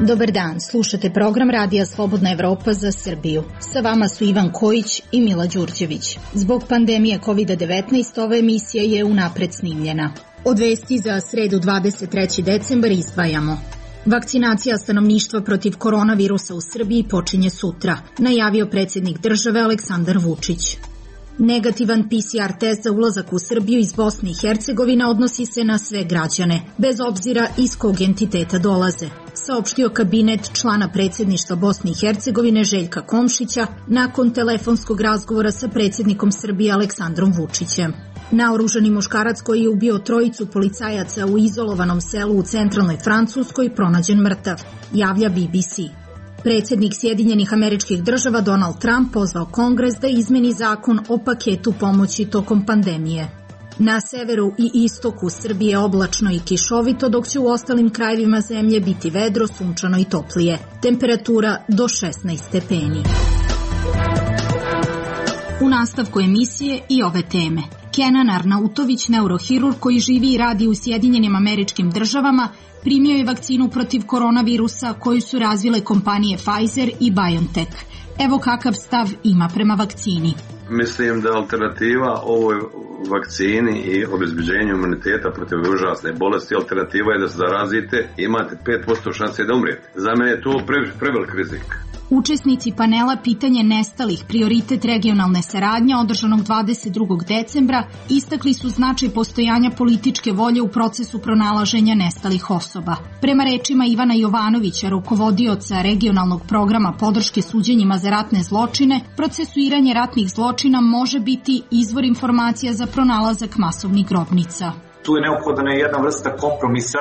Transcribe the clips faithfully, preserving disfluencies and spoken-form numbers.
Dobar dan, slušate program Radija Slobodna Evropa za Srbiju. Sa vama su Ivan Kojić i Mila Đurđević. Zbog pandemije kovid devetnaest ova emisija je unapred snimljena. Od vesti za sredu dvadeset treći decembar izdvajamo. Vakcinacija stanovništva protiv koronavirusa u Srbiji počinje sutra, najavio predsjednik države Aleksandar Vučić. Negativan P C R test za ulazak u Srbiju iz Bosne i Hercegovine odnosi se na sve građane, bez obzira iz kog entiteta dolaze, saopštio kabinet člana predsjedništva Bosne i Hercegovine Željka Komšića nakon telefonskog razgovora sa predsjednikom Srbije Aleksandrom Vučićem. Naoružani muškarac koji je ubio trojicu policajaca u izolovanom selu u centralnoj Francuskoj pronađen mrtav, javlja B B C. Predsjednik Sjedinjenih Američkih Država Donald Trump pozvao Kongres da izmeni zakon o paketu pomoći tokom pandemije. Na severu i istoku Srbije oblačno i kišovito, dok će u ostalim krajevima zemlje biti vedro, sunčano i toplije. Temperatura do šesnaest stepeni. U nastavku emisije i ove teme. Kenan Arnautović, neurohirurg koji živi i radi u Sjedinjenim Američkim Državama, primio je vakcinu protiv koronavirusa koju su razvile kompanije Pfizer i BioNTech. Evo kakav stav ima prema vakcini. Mislim da alternativa ovoj vakcini i obezbeđenju imuniteta protiv užasne bolesti, alternativa je da se zarazite i imate pet posto šanse da umrijete. Za mene je to pre, prevelik rizik. Učesnici panela Pitanje nestalih, prioritet regionalne saradnje održanog dvadeset drugog decembra istakli su značaj postojanja političke volje u procesu pronalaženja nestalih osoba. Prema rečima Ivana Jovanovića, rukovodioca regionalnog programa podrške suđenjima za ratne zločine, procesuiranje ratnih zločina može biti izvor informacija za pronalazak masovnih grobnica. Tu je neophodna jedna vrsta kompromisa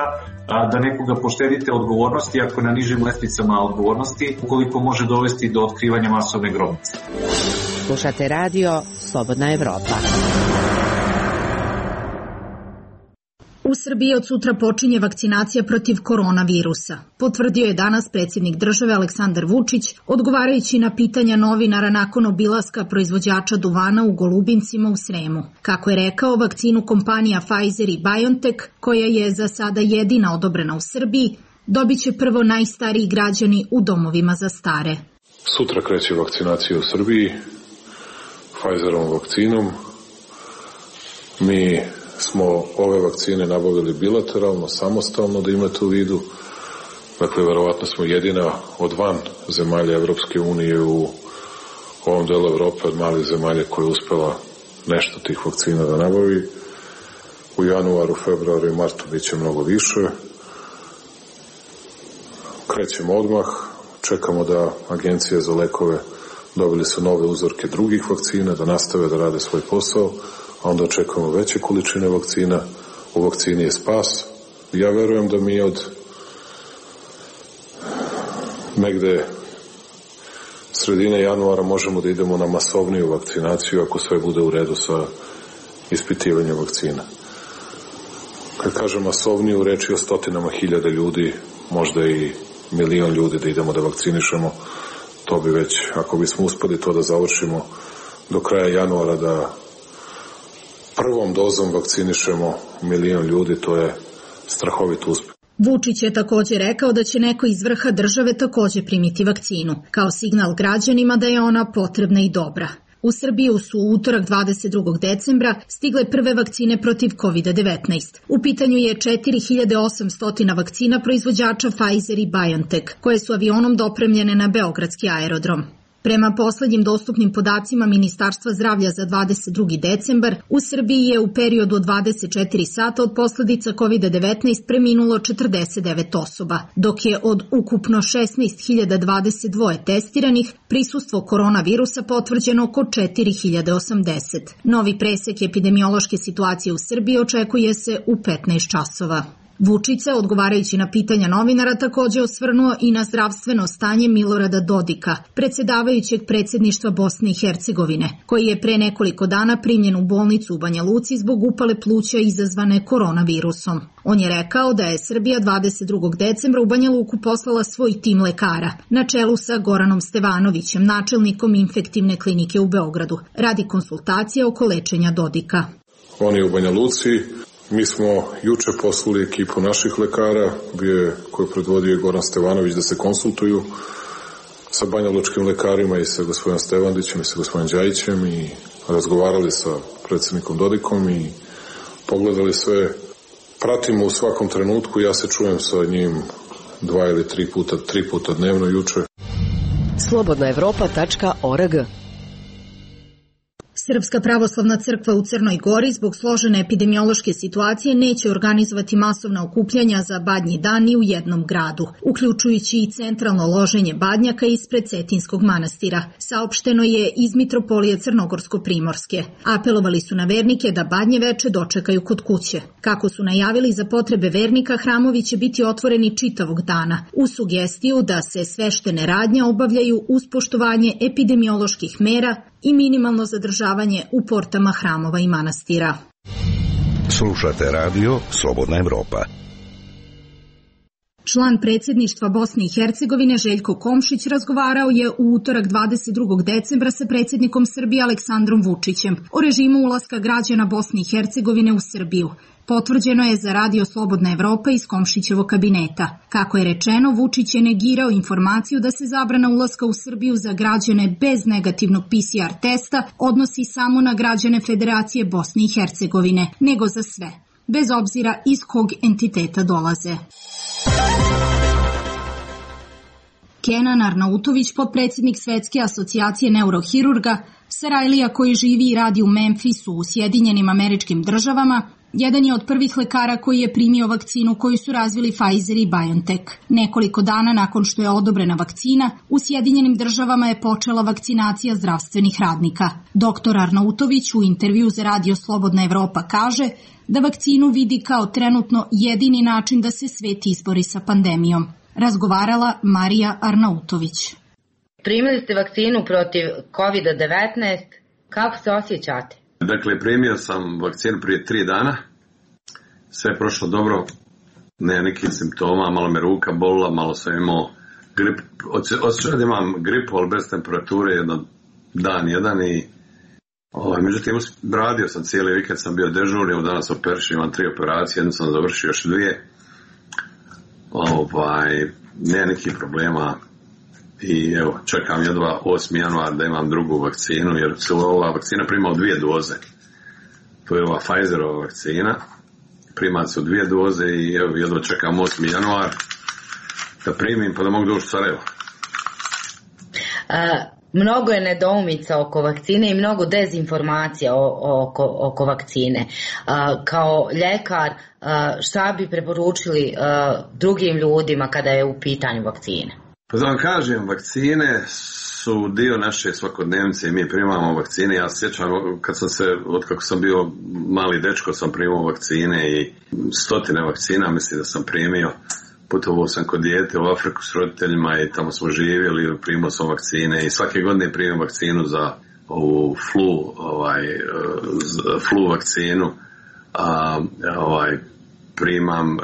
da nekoga poštedite odgovornosti ako na nižim lestnicama odgovornosti, ukoliko može dovesti do otkrivanja masovne grobnice. Slušate radio Slobodna Evropa. U Srbiji od sutra počinje vakcinacija protiv koronavirusa, potvrdio je danas predsjednik države Aleksandar Vučić, odgovarajući na pitanja novinara nakon obilaska proizvođača duvana u Golubincima u Sremu. Kako je rekao, vakcinu kompanija Pfizer i BioNTech, koja je za sada jedina odobrena u Srbiji, dobit će prvo najstariji građani u domovima za stare. Sutra kreće vakcinacija u Srbiji Pfizerovom vakcinom. Mi smo ove vakcine nabavili bilateralno, samostalno, da imate u vidu. Dakle, verovatno smo jedina od van zemalja Evropske unije u ovom delu Evrope, od malih zemalja koja je uspela nešto tih vakcina da nabavi. U januaru, februaru i martu bit će mnogo više. Krećemo odmah, čekamo da Agencija za lekove dobili su nove uzorke drugih vakcina, da nastave da rade svoj posao, a onda očekujemo veće količine vakcina. U vakcini je spas. Ja verujem da mi od negde sredine januara možemo da idemo na masovniju vakcinaciju ako sve bude u redu sa ispitivanjem vakcina. Kad kažem masovniju, reč je o stotinama hiljada ljudi, možda i milion ljudi da idemo da vakcinišemo. To bi već, ako bismo uspeli to da završimo do kraja januara, da prvom dozom vakcinišemo milion ljudi, to je strahovit uspeh. Vučić je također rekao da će neko iz vrha države također primiti vakcinu, kao signal građanima da je ona potrebna i dobra. U Srbiju su u utorak dvadeset drugog decembra stigle prve vakcine protiv kovid devetnaest. U pitanju je četiri hiljade osamsto vakcina proizvođača Pfizer i BioNTech, koje su avionom dopremljene na beogradski aerodrom. Prema poslednjim dostupnim podacima Ministarstva zdravlja za dvadeset drugi decembar, u Srbiji je u periodu od dvadeset četiri sata od posledica kovid devetnaest preminulo četrdeset devet osoba, dok je od ukupno šesnaest hiljada dvadeset dva testiranih prisustvo koronavirusa potvrđeno oko četiri hiljade osamdeset. Novi presek epidemiološke situacije u Srbiji očekuje se u petnaest časova. Vučić se, odgovarajući na pitanja novinara, takođe osvrnuo i na zdravstveno stanje Milorada Dodika, predsjedavajućeg predsjedništva Bosne i Hercegovine, koji je pre nekoliko dana primljen u bolnicu u Banja Luci zbog upale pluća izazvane koronavirusom. On je rekao da je Srbija dvadeset drugog decembra u Banja Luku poslala svoj tim lekara, na čelu sa Goranom Stevanovićem, načelnikom infektivne klinike u Beogradu, radi konsultacije oko lečenja Dodika. On je u Banja Luci. Mi smo juče poslali ekipu naših lekara, je, koju predvodio Goran Stevanović, da se konsultuju sa banjalučkim lekarima i sa gospodinom Stevandićem i sa gospodinom Đajićem i razgovarali sa predsjednikom Dodikom i pogledali sve. Pratimo u svakom trenutku, ja se čujem sa njim dva ili tri puta, tri puta dnevno juče. slobodna evropa tačka org. Srpska pravoslavna crkva u Crnoj Gori zbog složene epidemiološke situacije neće organizovati masovna okupljanja za Badnji dan ni u jednom gradu, uključujući i centralno loženje badnjaka ispred Cetinskog manastira, saopšteno je iz Mitropolije Crnogorsko-Primorske. Apelovali su na vernike da Badnje veče dočekaju kod kuće. Kako su najavili, za potrebe vernika hramovi će biti otvoreni čitavog dana, uz sugestiju da se sveštene radnje obavljaju uz poštovanje epidemioloških mera i minimalno zadržavanje u portama hramova i manastira. Slušate radio Slobodna Evropa. Član predsjedništva Bosne i Hercegovine Željko Komšić razgovarao je u utorak dvadeset drugog decembra sa predsjednikom Srbije Aleksandrom Vučićem o režimu ulaska građana Bosne i Hercegovine u Srbiju. Potvrđeno je za radio Slobodna Evropa iz Komšićevog kabineta. Kako je rečeno, Vučić je negirao informaciju da se zabrana ulaska u Srbiju za građane bez negativnog P C R testa odnosi samo na građane Federacije Bosne i Hercegovine, nego za sve, bez obzira iz kog entiteta dolaze. Kenan Arnautović, potpredsjednik Svetske asocijacije neurohirurga, Sarajlija koji živi i radi u Memphisu u Sjedinjenim Američkim Državama, jedan je od prvih lekara koji je primio vakcinu koju su razvili Pfizer i BioNTech. Nekoliko dana nakon što je odobrena vakcina, u Sjedinjenim Državama je počela vakcinacija zdravstvenih radnika. Doktor Arnautović u intervju za radio Slobodna Evropa kaže da vakcinu vidi kao trenutno jedini način da se svet izbori sa pandemijom. Razgovarala Marija Arnautović. Primili ste vakcinu protiv kovid devetnaest, kako se osjećate? Dakle, primio sam vakcinu prije tri dana, sve je prošlo dobro, ne nekih simptoma, malo me ruka bolila, malo sam imao grip, osjećao da imam gripu, ali bez temperature, jedan dan, jedan i ovaj, međutim, radio sam cijeli vikend, sam bio dežurni, danas operišen, imam tri operacije, jednu sam završio, još dvije, ovaj, ne nekih problema. I evo, čekam jedva osmi januar da imam drugu vakcinu, jer se ova vakcina prima u dvije doze. To je ova Pfizerova vakcina, prima se u dvije doze i evo, jedva čekam osmi januar da primim pa da mogu doći u Sarajevo. A, mnogo je nedoumica oko vakcine i mnogo dezinformacija oko, oko vakcine. A, kao ljekar, a, šta bi preporučili a, drugim ljudima kada je u pitanju vakcine? Pa da vam kažem, vakcine su dio naše svakodnevnice i mi primamo vakcine. Ja se sjećam kad sam se, od kako sam bio mali dečko, sam primao vakcine i stotine vakcina, mislim da sam primio. Putovao sam kod dijete u Afriku s roditeljima i tamo smo živjeli, primao sam vakcine i svake godine primam vakcinu za ovu flu, ovaj, flu vakcinu. A, ovaj, primam,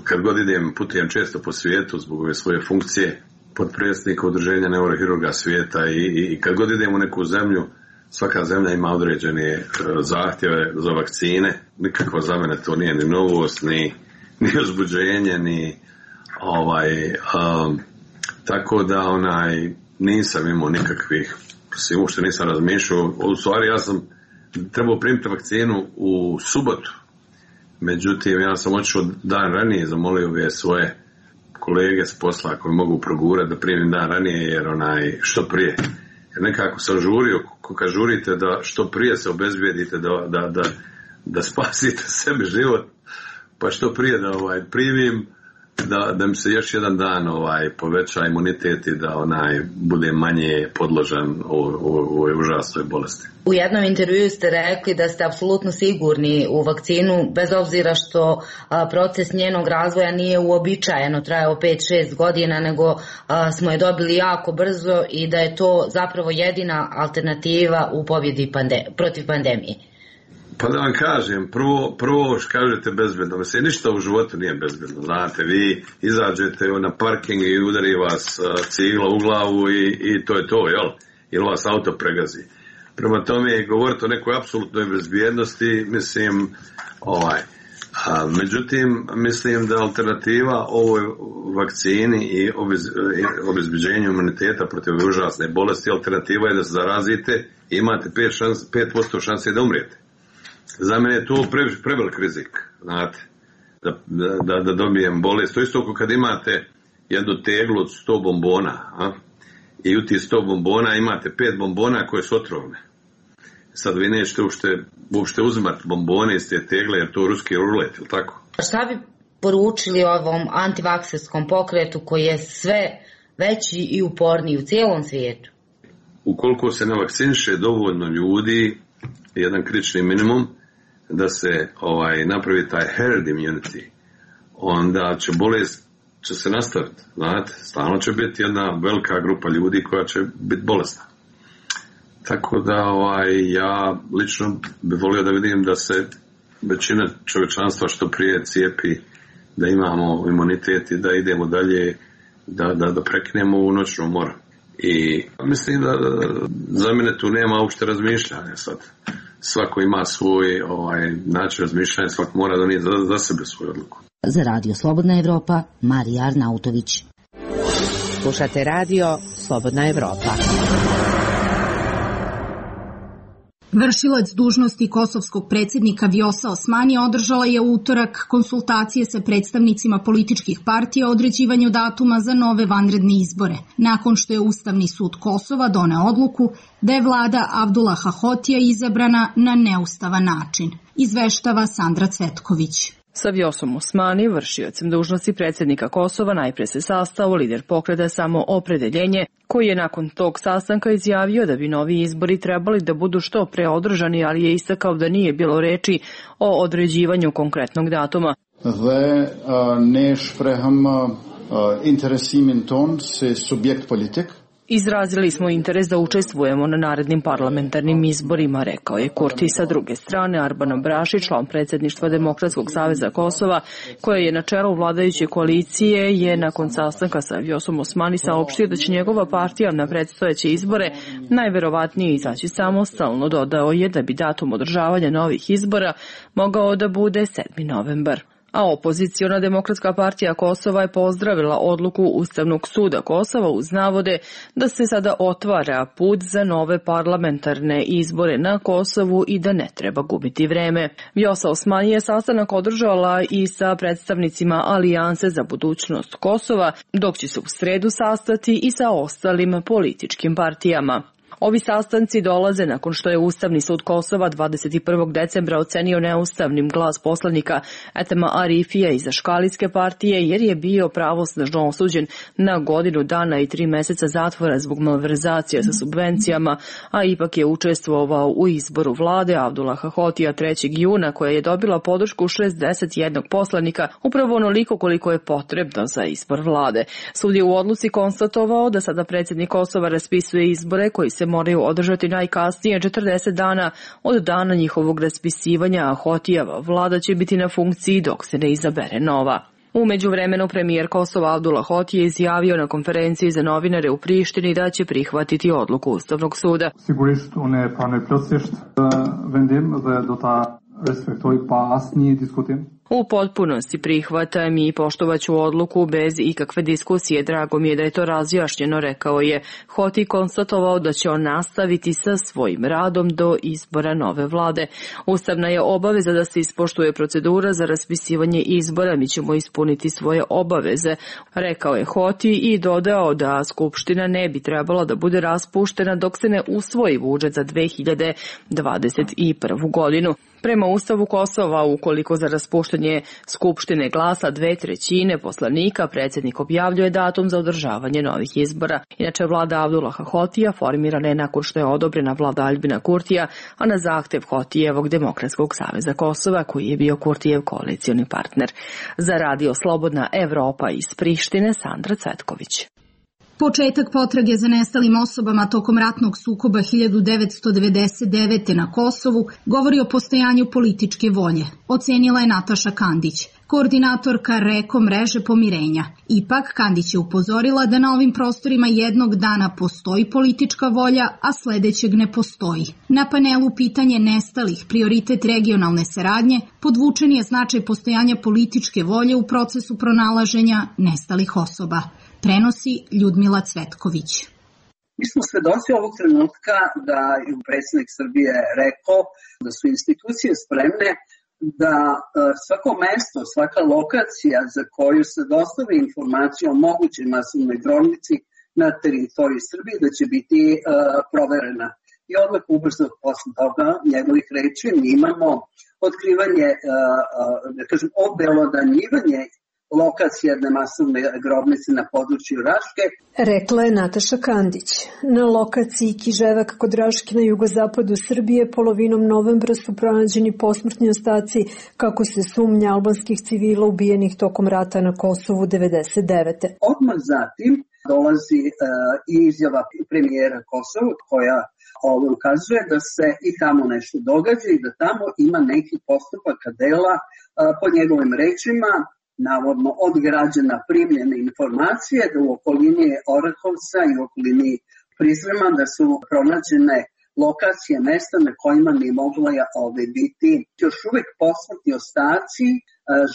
kad god idem, putujem često po svijetu zbog ove svoje funkcije potpredsjednika udruženja neurohirurga svijeta i, i, i kad god idem u neku zemlju, svaka zemlja ima određene zahtjeve za vakcine, nikakva za mene to nije ni novost, ni, ni uzbuđenje, ni ovaj, um, tako da onaj, nisam imao nikakvih, uopšte nisam razmišljao, u stvari ja sam trebao primiti vakcinu u subotu. Međutim, ja sam otišao dan ranije, zamolio bi svoje kolege s posla koji mogu progurati da primim dan ranije, jer onaj, što prije. Jer nekako sam žurio, kad žurite da što prije se obezbijedite da, da, da, da spasite sebi život, pa što prije da ovaj, primim, da, da mi se još jedan dan ovaj, poveća imunitet i da onaj, bude manje podložan u ovoj užasnoj bolesti. U jednom intervjuu ste rekli da ste apsolutno sigurni u vakcinu, bez obzira što a, proces njenog razvoja nije uobičajeno, trajao pet šest godina, nego a, smo je dobili jako brzo i da je to zapravo jedina alternativa u pobjedi pande, protiv pandemije. Pa da vam kažem, prvo, prvo što kažete bezbedno, mislim, ništa u životu nije bezbedno, znate, vi izađete na parking i udari vas cigla u glavu i, i to je to, jel? Ili vas auto pregazi. Prema tome, govoriti o nekoj apsolutnoj bezbjednosti, mislim, ovaj, A, međutim, mislim da alternativa ovoj vakcini i obezbeđenju imuniteta protiv užasne bolesti, alternativa je da se zarazite i imate pet posto šanse da umrijete. Za mene je to pre, prevelik rizik, znate, da, da, da dobijem bolest. To isto kad imate jednu teglu od sto bombona, a? I u tih sto bombona imate pet bombona koje su otrovne. Sad vi nećete uopšte, uopšte uzimati bombone iz te tegle, jer to je ruski rulet, ili tako? Šta bi poručili ovom antivakserskom pokretu koji je sve veći i uporniji u cijelom svijetu? Ukoliko se ne vakciniše dovoljno ljudi, jedan kritični minimum, da se ovaj, napravi taj herd immunity, onda će bolest će se nastaviti, znate, stalno će biti jedna velika grupa ljudi koja će biti bolesna. Tako da ovaj, ja lično bih volio da vidim da se većina čovječanstva što prije cijepi, da imamo imunitet i da idemo dalje, da, da, da prekinemo u noćnu moru. I mislim da za mene tu nema uopšte razmišljanja sad. Svako ima svoj ovaj, način razmišljanja, svako mora donijeti za, za sebe svoju odluku. Za Radio Slobodna Evropa, Marija Arnautović. Slušate Radio Slobodna Evropa. Vršilac dužnosti kosovskog predsjednika Vjosa Osmani održala je u utorak konsultacije sa predstavnicima političkih partija o određivanju datuma za nove vanredne izbore, nakon što je Ustavni sud Kosova doneo odluku da je vlada Abdullaha Hotija izabrana na neustavan način, izveštava Sandra Cvetković. Sa Vjosom Osmani, vršiocem dužnosti predsjednika Kosova, najpre se sastao lider pokreta Samoopredeljenje, koji je nakon tog sastanka izjavio da bi novi izbori trebali da budu što pre održani, ali je istakao da nije bilo reči o određivanju konkretnog datuma. Dhe ne shprehëm interesimin ton se subjekt politik. Izrazili smo interes da učestvujemo na narednim parlamentarnim izborima, rekao je Kurti. Sa druge strane, Arban Braši, član predsjedništva Demokratskog saveza Kosova, koje je na čelu vladajuće koalicije, je nakon sastanka sa Vjosom Osmani saopštio da će njegova partija na predstojeće izbore najverovatnije izaći samostalno. Dodao je da bi datum održavanja novih izbora mogao da bude sedmi novembar. A opoziciona Demokratska partija Kosova je pozdravila odluku Ustavnog suda Kosova uz navode da se sada otvara put za nove parlamentarne izbore na Kosovu i da ne treba gubiti vreme. Vjosa Osmani je sastanak održala i sa predstavnicima Alijanse za budućnost Kosova, dok će se u sredu sastati i sa ostalim političkim partijama. Ovi sastanci dolaze nakon što je Ustavni sud Kosova dvadeset prvog decembra ocenio neustavnim glas poslanika Etema Arifija iz Aškalijske partije, jer je bio pravosnažno osuđen na godinu dana i tri meseca zatvora zbog malverzacija sa subvencijama, a ipak je učestvovao u izboru vlade Abdullaha Hotija trećeg juna, koja je dobila podršku šezdeset jednog poslanika, upravo onoliko koliko je potrebno za izbor vlade. Sud je u odluci konstatovao da sada predsjednik Kosova raspisuje izbore koji se moraju održati najkasnije četrdeset dana od dana njihovog raspisivanja, a Hotijeva vlada će biti na funkciji dok se ne izabere nova. U međuvremenu premijer Kosova Abdullah Hoti je izjavio na konferenciji za novinare u Prištini da će prihvatiti odluku Ustavnog suda. Sigurisht unë pranoj plotësisht vendim dhe do ta respektoj pa asnjë diskutim. U potpunosti prihvatam i poštovaću odluku bez ikakve diskusije. Drago mi je da je to razjašnjeno, rekao je. Hoti konstatovao da će on nastaviti sa svojim radom do izbora nove vlade. Ustavna je obaveza da se ispoštuje procedura za raspisivanje izbora. Mi ćemo ispuniti svoje obaveze, rekao je Hoti i dodao da Skupština ne bi trebala da bude raspuštena dok se ne usvoji budžet za dve hiljade dvadeset prvu godinu. Prema Ustavu Kosova, ukoliko za raspuštanje Skupštine glasa dve trećine poslanika, predsjednik objavljuje datum za održavanje novih izbora. Inače, vlada Abdullaha Hotija formirana je nakon što je odobrena vlada Aljbina Kurtija, a na zahtev Hotijevog Demokratskog saveza Kosova, koji je bio Kurtijev koalicioni partner. Za Radio Slobodna Evropa iz Prištine, Sandra Cvetković. Početak potrage za nestalim osobama tokom ratnog sukoba hiljadu devetsto devedeset devete. na Kosovu govori o postojanju političke volje, ocenila je Nataša Kandić, koordinatorka REKO mreže pomirenja. Ipak, Kandić je upozorila da na ovim prostorima jednog dana postoji politička volja, a sledećeg ne postoji. Na panelu pitanje nestalih, prioritet regionalne saradnje, podvučen je značaj postojanja političke volje u procesu pronalaženja nestalih osoba. Prenosi Ljudmila Cvetković. Mi smo svedoci ovog trenutka da je predsjednik Srbije rekao da su institucije spremne da svako mesto, svaka lokacija za koju se dostavi informacija o mogućoj masovnoj grobnici na teritoriji Srbije da će biti uh, proverena. I odmah ubrzo posle toga njegovih reči mi imamo otkrivanje, uh, uh, da kažem, obelodanjivanje lokacija jedne masovne grobnice na području Raške. Rekla je Nataša Kandić. Na lokaciji Kiževak kod Raške na jugozapadu Srbije polovinom novembra su pronađeni posmrtni ostaci, kako se sumnja, albanskih civila ubijenih tokom rata na Kosovu devedeset devete. Odmah zatim dolazi uh, i izjava premijera Kosova koja ovo ukazuje da se i tamo nešto događa i da tamo ima neki postupaka dela uh, po njegovim rečima, navodno od građana primljene informacije da u okolini Orahovca i u okolini Prizrema da su pronađene lokacije, mesta na kojima ne mogla ove biti još uvek posmrtni ostaci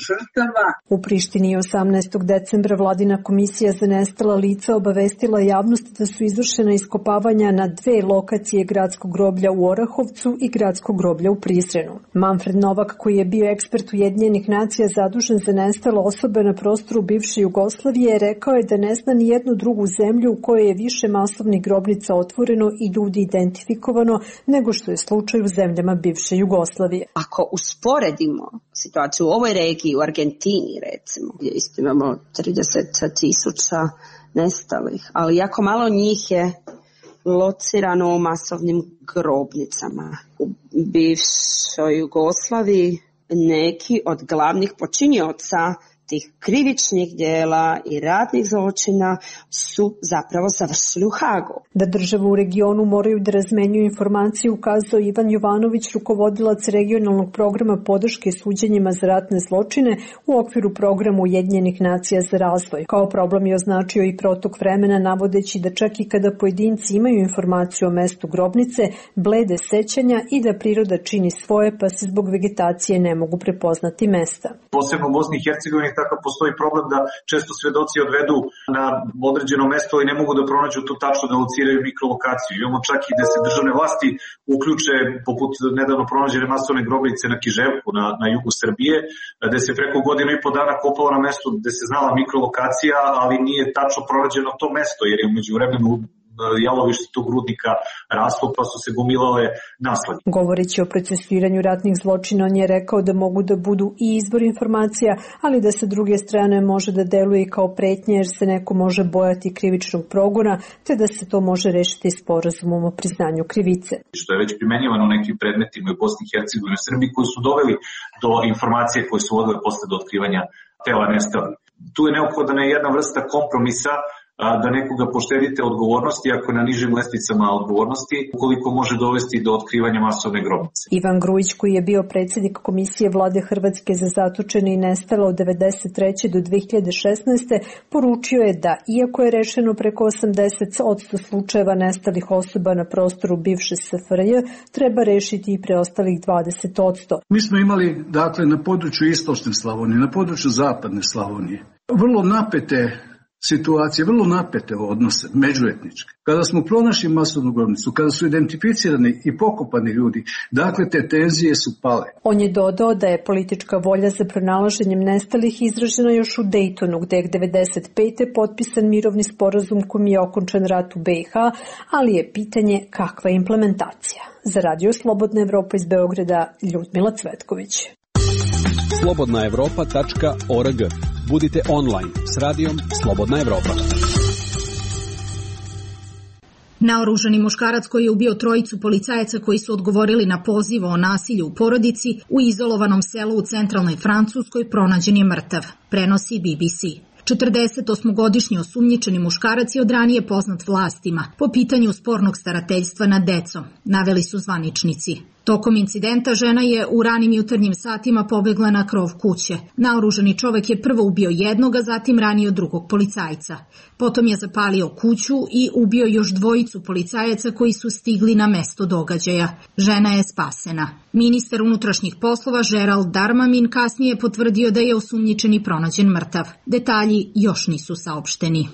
žrtava. U Prištini osamnaestog decembra vladina komisija za nestala lica obavestila javnost da su izvršena iskopavanja na dve lokacije gradskog groblja u Orahovcu i gradskog groblja u Prizrenu. Manfred Novak, koji je bio ekspert Ujedinjenih nacija zadužen za nestale osobe na prostoru bivše Jugoslavije, rekao je da ne zna ni jednu drugu zemlju u kojoj je više masovnih grobnica otvoreno i ljudi identifikovano nego što je slučaj u zemljama bivše Jugoslavije. Ako usporedimo situaciju u ovoj regiji, u Argentini recimo, gdje isto imamo trideset tisuća nestalih, ali jako malo njih je locirano u masovnim grobnicama. U bivšoj Jugoslaviji neki od glavnih počinioca tih krivičnih djela i ratnih zločina su zapravo završili u Hagu. Da države u regionu moraju da razmenjuju informacije ukazao Ivan Jovanović, rukovodilac regionalnog programa podrške suđenjima za ratne zločine u okviru programa Ujedinjenih nacija za razvoj. Kao problem je označio i protok vremena, navodeći da čak i kada pojedinci imaju informaciju o mestu grobnice, blede sećanja i da priroda čini svoje, pa se zbog vegetacije ne mogu prepoznati mesta. Posebno u Bosni i Hercegovini takav postoji problem da često svedoci odvedu na određeno mesto i ne mogu da pronađu tu tačno da lociraju mikrolokaciju. Imamo čak i da se državne vlasti uključe, poput nedavno pronađene masovne grobnice na Kiževku na, na jugu Srbije, gde se preko godinu i po dana kopalo na mestu gde se znala mikrolokacija, ali nije tačno pronađeno to mesto, jer je umeđu vremenu jalovište tog rudnika raslo, pa su se gomilale naslage. Govoreći o procesuiranju ratnih zločina, on je rekao da mogu da budu i izvor informacija, ali da sa druge strane može da deluje kao pretnje, jer se neko može bojati krivičnog progona, te da se to može rešiti sporazumom o priznanju krivice. Što je već primenjivano u nekim predmetima u Bosni i Hercegovini i Srbiji koji su doveli do informacije koje su vodile posle do otkrivanja tela nestalih. Tu je neophodna jedna vrsta kompromisa da nekoga poštedite odgovornosti ako na nižim lestvicama odgovornosti, ukoliko može dovesti do otkrivanja masovne grobnice. Ivan Grujić, koji je bio predsjednik Komisije vlade Hrvatske za zatočene i nestale od devedeset treće do dve hiljade šesnaeste. poručio je da, iako je rešeno preko osamdeset posto slučajeva nestalih osoba na prostoru bivše S F R J, treba rešiti i preostalih dvadeset posto. Mi smo imali, dakle, na području istočne Slavonije, na području zapadne Slavonije, vrlo napete situacije, vrlo napete odnose, međuetničke. Kada smo pronašli masovnu grobnicu, kada su identificirani i pokopani ljudi, dakle te tenzije su pale. On je dodao da je politička volja za pronalaženjem nestalih izražena još u Dejtonu, gde je devedeset pete potpisan mirovni sporazum kojim je okončan rat u B i H, ali je pitanje kakva je implementacija. Za Radio Slobodna Evropa iz Beograda, Ljudmila Cvetković. slobodna evropa tačka org. Budite online s radijom Slobodna Evropa. Naoružani muškarac koji je ubio trojicu policajaca koji su odgovorili na poziv o nasilju u porodici u izolovanom selu u centralnoj Francuskoj pronađen je mrtav, prenosi B B C. četrdesetosmogodišnji osumnjičeni muškarac je od ranije poznat vlastima po pitanju spornog starateljstva nad decom, naveli su zvaničnici. Tokom incidenta žena je u ranim jutarnjim satima pobegla na krov kuće. Naoružani čovek je prvo ubio jednog, a zatim ranio drugog policajca. Potom je zapalio kuću i ubio još dvojicu policajaca koji su stigli na mesto događaja. Žena je spasena. Ministar unutrašnjih poslova Gerald Darmanin kasnije je potvrdio da je osumnjičeni pronađen mrtav. Detalji još nisu saopšteni.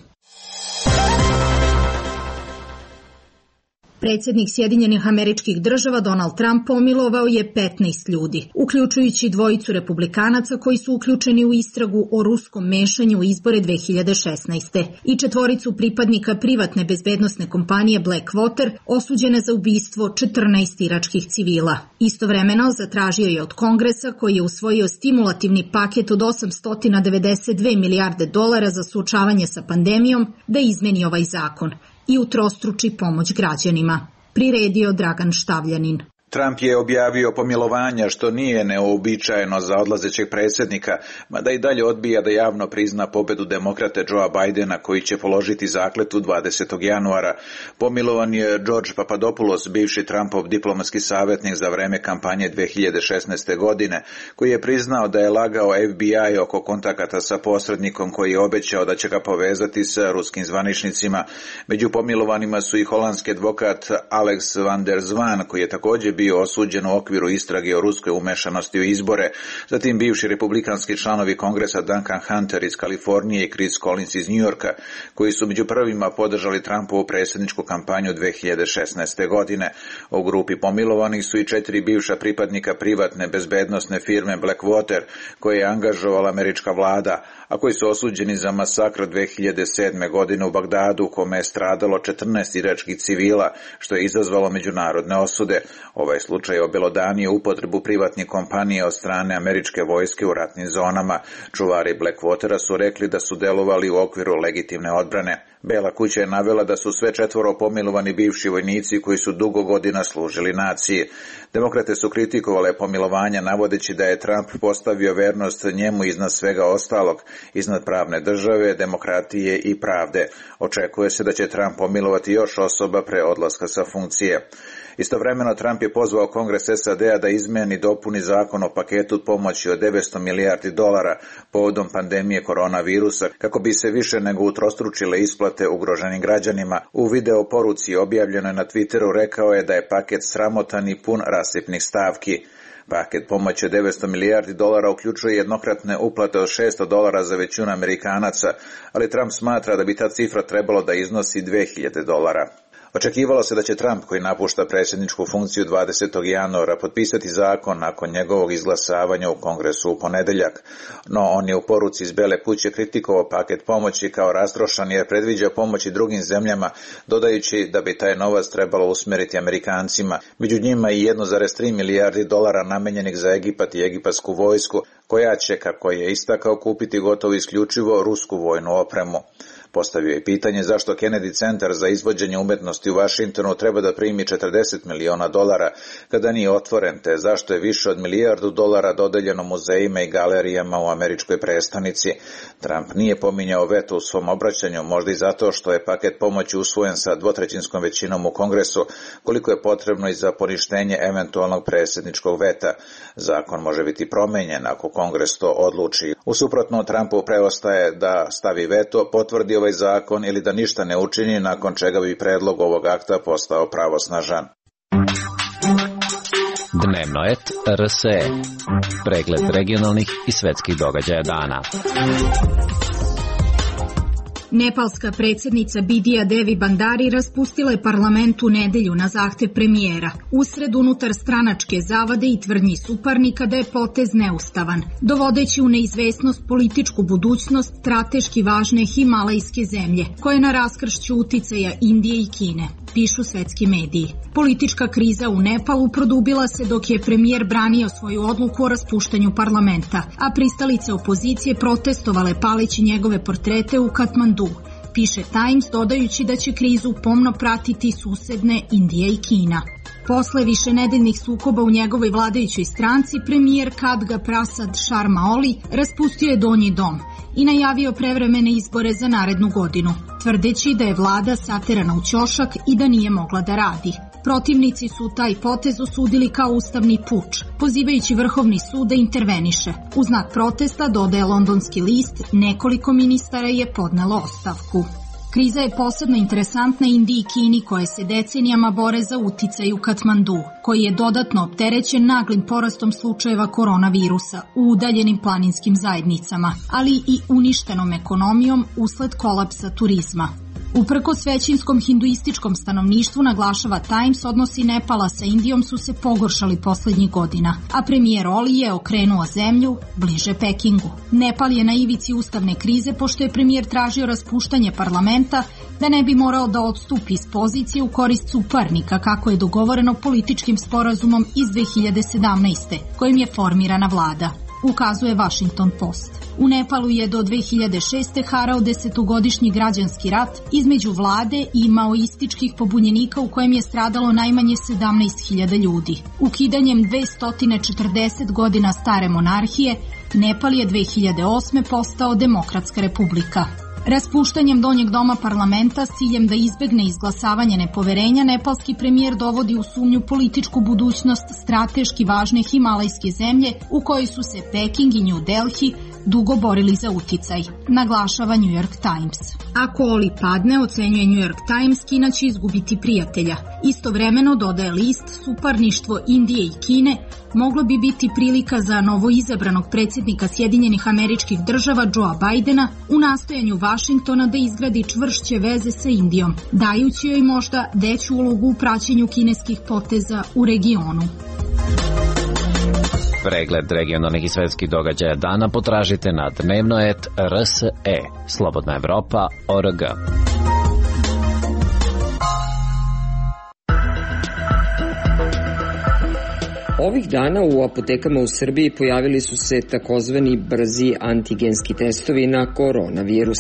Predsjednik Sjedinjenih Američkih Država Donald Trump pomilovao je petnaest ljudi, uključujući dvojicu republikanaca koji su uključeni u istragu o ruskom mešanju u izbore dve hiljade šesnaeste. i četvoricu pripadnika privatne bezbednosne kompanije Blackwater osuđene za ubistvo četrnaest iračkih civila. Istovremeno zatražio je od Kongresa, koji je usvojio stimulativni paket od osamsto devedeset dve milijarde dolara za suočavanje sa pandemijom, da izmeni ovaj zakon i utrostruči pomoć građanima. Priredio Dragan Štavljanin. Trump je objavio pomilovanja, što nije neuobičajeno za odlazećeg predsjednika, mada i dalje odbija da javno prizna pobedu demokrate Joea Bidena, koji će položiti zakletvu dvadesetog januara. Pomilovan je George Papadopoulos, bivši Trumpov diplomatski savjetnik za vreme kampanje dve hiljade šesnaeste. godine, koji je priznao da je lagao F B I oko kontakata sa posrednikom koji je obećao da će ga povezati sa ruskim zvaničnicima. Među pomilovanima su i holandski advokat Alex van der Zwan, koji je također bio osuđen u okviru istrage o ruskoj umešanosti u izbore, zatim bivši republikanski članovi Kongresa Duncan Hunter iz Kalifornije i Chris Collins iz Njujorka, koji su među prvima podržali Trumpovu predsjedničku kampanju dve hiljade šesnaeste. godine. U grupi pomilovanih su i četiri bivša pripadnika privatne bezbednosne firme Blackwater, koje je angažovala američka vlada, a koji su osuđeni za masakr dve hiljade sedme. godine u Bagdadu, u kome je stradalo četrnaest iračkih civila, što je izazvalo međunarodne osude. Ovaj slučaj je obelodanio upotrebu privatnih kompanija od strane američke vojske u ratnim zonama. Čuvari Blackwatera su rekli da su delovali u okviru legitimne odbrane. Bela kuća je navela da su sve četvoro pomilovani bivši vojnici koji su dugo godina služili naciji. Demokrate su kritikovale pomilovanja, navodeći da je Trump postavio vernost njemu iznad svega ostalog, iznad pravne države, demokratije i pravde. Očekuje se da će Trump pomilovati još osoba pre odlaska sa funkcije. Istovremeno Trump je pozvao Kongres S A D-a da izmeni i dopuni zakon o paketu pomoći od devetsto milijardi dolara povodom pandemije koronavirusa, kako bi se više nego utrostručile isplate ugroženim građanima. U video poruci objavljenoj na Twitteru rekao je da je paket sramotan i pun rasipnih stavki. Paket pomoći od devetsto milijardi dolara uključuje jednokratne uplate od šesto dolara za većinu Amerikanaca, ali Trump smatra da bi ta cifra trebalo da iznosi dve hiljade dolara. Očekivalo se da će Trump, koji napušta predsjedničku funkciju dvadesetog januara, potpisati zakon nakon njegovog izglasavanja u Kongresu u ponedeljak, no on je u poruci iz Bele kuće kritikovao paket pomoći kao rastrošan jer predviđa pomoći drugim zemljama, dodajući da bi taj novac trebalo usmeriti Amerikancima, među njima i jedno zarez tri milijardi dolara namenjenih za Egipat i egipatsku vojsku, koja će, kako je istakao, kupiti gotovo isključivo rusku vojnu opremu. Postavio je pitanje zašto Kennedy centar za izvođenje umetnosti u Vašingtonu treba da primi četrdeset miliona dolara kada nije otvoren, te zašto je više od milijardu dolara dodeljeno muzejima i galerijama u američkoj prestonici. Trump nije pominjao veto u svom obraćanju, možda i zato što je paket pomoći usvojen sa dvotrećinskom većinom u Kongresu, koliko je potrebno i za poništenje eventualnog predsjedničkog veta. Zakon može biti promenjen ako Kongres to odluči. U suprotno, Trumpu preostaje da stavi veto, potvrdi ovaj zakon ili da ništa ne učini, nakon čega bi predlog ovog akta postao pravosnažan. Dnevno et R S E. Pregled regionalnih i svetskih događaja dana. Nepalska predsjednica Bidija Devi Bandari raspustila je parlament u nedelju na zahtev premijera, usred unutar stranačke zavade i tvrdnji suparnika da je potez neustavan, dovodeći u neizvesnost političku budućnost strateški važne himalajske zemlje, koje je na raskršću uticaja Indije i Kine, pišu svetski mediji. Politička kriza u Nepalu produbila se dok je premijer branio svoju odluku o raspuštanju parlamenta, a pristalice opozicije protestovale paleći njegove portrete u Katmandu, piše Times, dodajući da će krizu pomno pratiti susedne Indija i Kina. Posle višenedeljnih sukoba u njegovoj vladajućoj stranci, premijer Khadga Prasad Sharma Oli raspustio je donji dom i najavio prevremene izbore za narednu godinu, tvrdeći da je vlada saterana u ćošak i da nije mogla da radi. Protivnici su taj potez osudili kao ustavni puč, pozivajući Vrhovni sud da interveniše. U znak protesta, dodaje londonski list, nekoliko ministara je podnelo ostavku. Kriza je posebno interesantna Indiji i Kini koje se decenijama bore za uticaj u Katmandu, koji je dodatno opterećen naglim porastom slučajeva koronavirusa u udaljenim planinskim zajednicama, ali i uništenom ekonomijom usled kolapsa turizma. Uprkos većinskom hinduističkom stanovništvu, naglašava Times, odnosi Nepala sa Indijom su se pogoršali poslednjih godina, a premijer Oli je okrenuo zemlju bliže Pekingu. Nepal je na ivici ustavne krize pošto je premijer tražio raspuštanje parlamenta da ne bi morao da odstupi iz pozicije u korist suparnika kako je dogovoreno političkim sporazumom iz dve hiljade sedamnaeste. kojim je formirana vlada, ukazuje Washington Post. U Nepalu je do dve hiljade šeste. harao desetogodišnji građanski rat između vlade i maoističkih pobunjenika u kojem je stradalo najmanje sedamnaest hiljada ljudi. Ukidanjem dvesta četrdeset godina stare monarhije, Nepal je dve hiljade osme. postao demokratska republika. Raspuštanjem donjeg doma parlamenta s ciljem da izbegne izglasavanje nepoverenja, nepalski premijer dovodi u sumnju političku budućnost strateški važne himalajske zemlje u kojoj su se Peking i New Delhi dugo borili za uticaj, naglašava New York Times. Ako Oli padne, ocenjuje New York Times, Kina će izgubiti prijatelja. Istovremeno, dodaje list, suparništvo Indije i Kine moglo bi biti prilika za novoizabranog predsjednika Sjedinjenih Američkih Država Joea Bidena u nastojanju Vašingtona da izgradi čvršće veze sa Indijom, dajući joj možda veću ulogu u praćenju kineskih poteza u regionu. Pregled regionalnih i svetskih događaja dana potražite na dnevnoet R S E, Slobodna Evropa, O R G. Ovih dana u apotekama u Srbiji pojavili su se takozvani brzi antigenski testovi na koronavirus.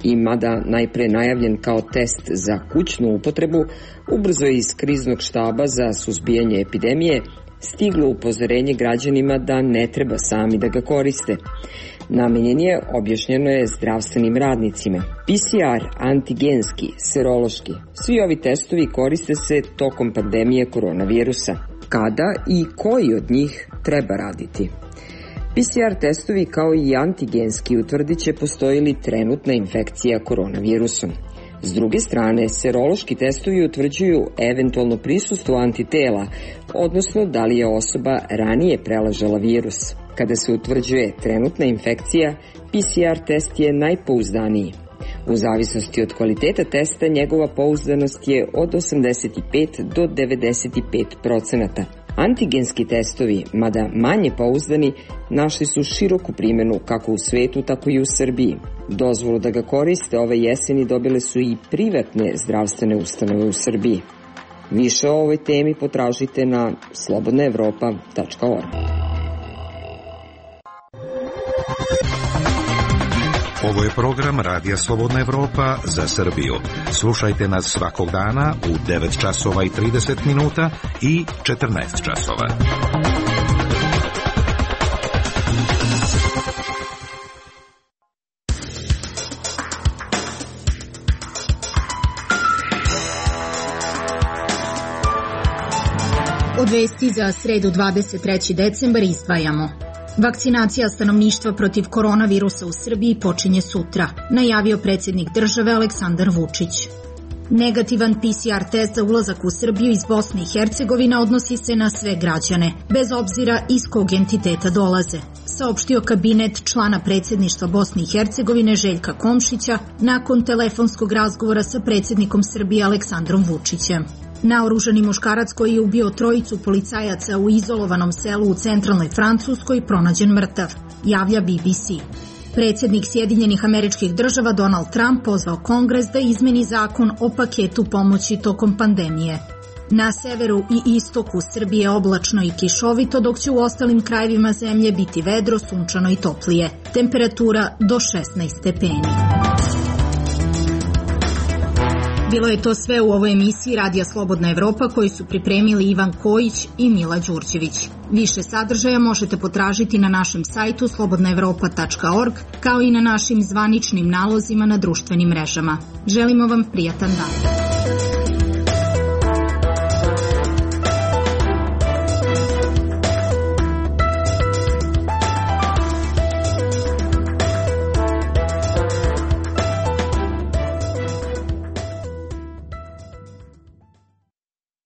I mada najpre najavljen kao test za kućnu upotrebu, ubrzo je iz kriznog štaba za suzbijanje epidemije stiglo upozorenje građanima da ne treba sami da ga koriste. Namenjen je, objašnjeno je, zdravstvenim radnicima. P C R, antigenski, serološki, svi ovi testovi koriste se tokom pandemije koronavirusa. Kada i koji od njih treba raditi? P C R testovi kao i antigenski utvrdit će postoji li trenutna infekcija koronavirusom. S druge strane, serološki testovi utvrđuju eventualno prisustvo antitela, odnosno da li je osoba ranije prelažala virus. Kada se utvrđuje trenutna infekcija, P C R test je najpouzdaniji. U zavisnosti od kvaliteta testa, njegova pouzdanost je od osamdeset pet do devedeset pet procenata. Antigenski testovi, mada manje pouzdani, našli su široku primjenu kako u svetu, tako i u Srbiji. Dozvolu da ga koriste ove jeseni dobile su i privatne zdravstvene ustanove u Srbiji. Više o ovoj temi potražite na slobodna evropa tačka org. Ovo je program Radija Slobodna Evropa za Srbiju. Slušajte nas svakog dana u devet časova i trideset minuta i četrnaest časova. Od vesti za sredu dvadeset treći decembar izdvajamo. Vakcinacija stanovništva protiv koronavirusa u Srbiji počinje sutra, najavio predsjednik države Aleksandar Vučić. Negativan P C R test za ulazak u Srbiju iz Bosne i Hercegovine odnosi se na sve građane, bez obzira iz kog entiteta dolaze, saopštio kabinet člana predsjedništva Bosne i Hercegovine Željka Komšića nakon telefonskog razgovora sa predsjednikom Srbije Aleksandrom Vučićem. Naoružani muškarac koji je ubio trojicu policajaca u izolovanom selu u centralnoj Francuskoj pronađen mrtav, javlja B B C. Predsjednik Sjedinjenih Američkih Država Donald Trump pozvao Kongres da izmeni zakon o paketu pomoći tokom pandemije. Na severu i istoku Srbije oblačno i kišovito, dok će u ostalim krajevima zemlje biti vedro, sunčano i toplije. Temperatura do šesnaest stepeni. Bilo je to sve u ovoj emisiji Radija Slobodna Evropa koju su pripremili Ivan Kojić i Mila Đurđević. Više sadržaja možete potražiti na našem sajtu slobodna evropa tačka org kao i na našim zvaničnim nalozima na društvenim mrežama. Želimo vam prijatan dan.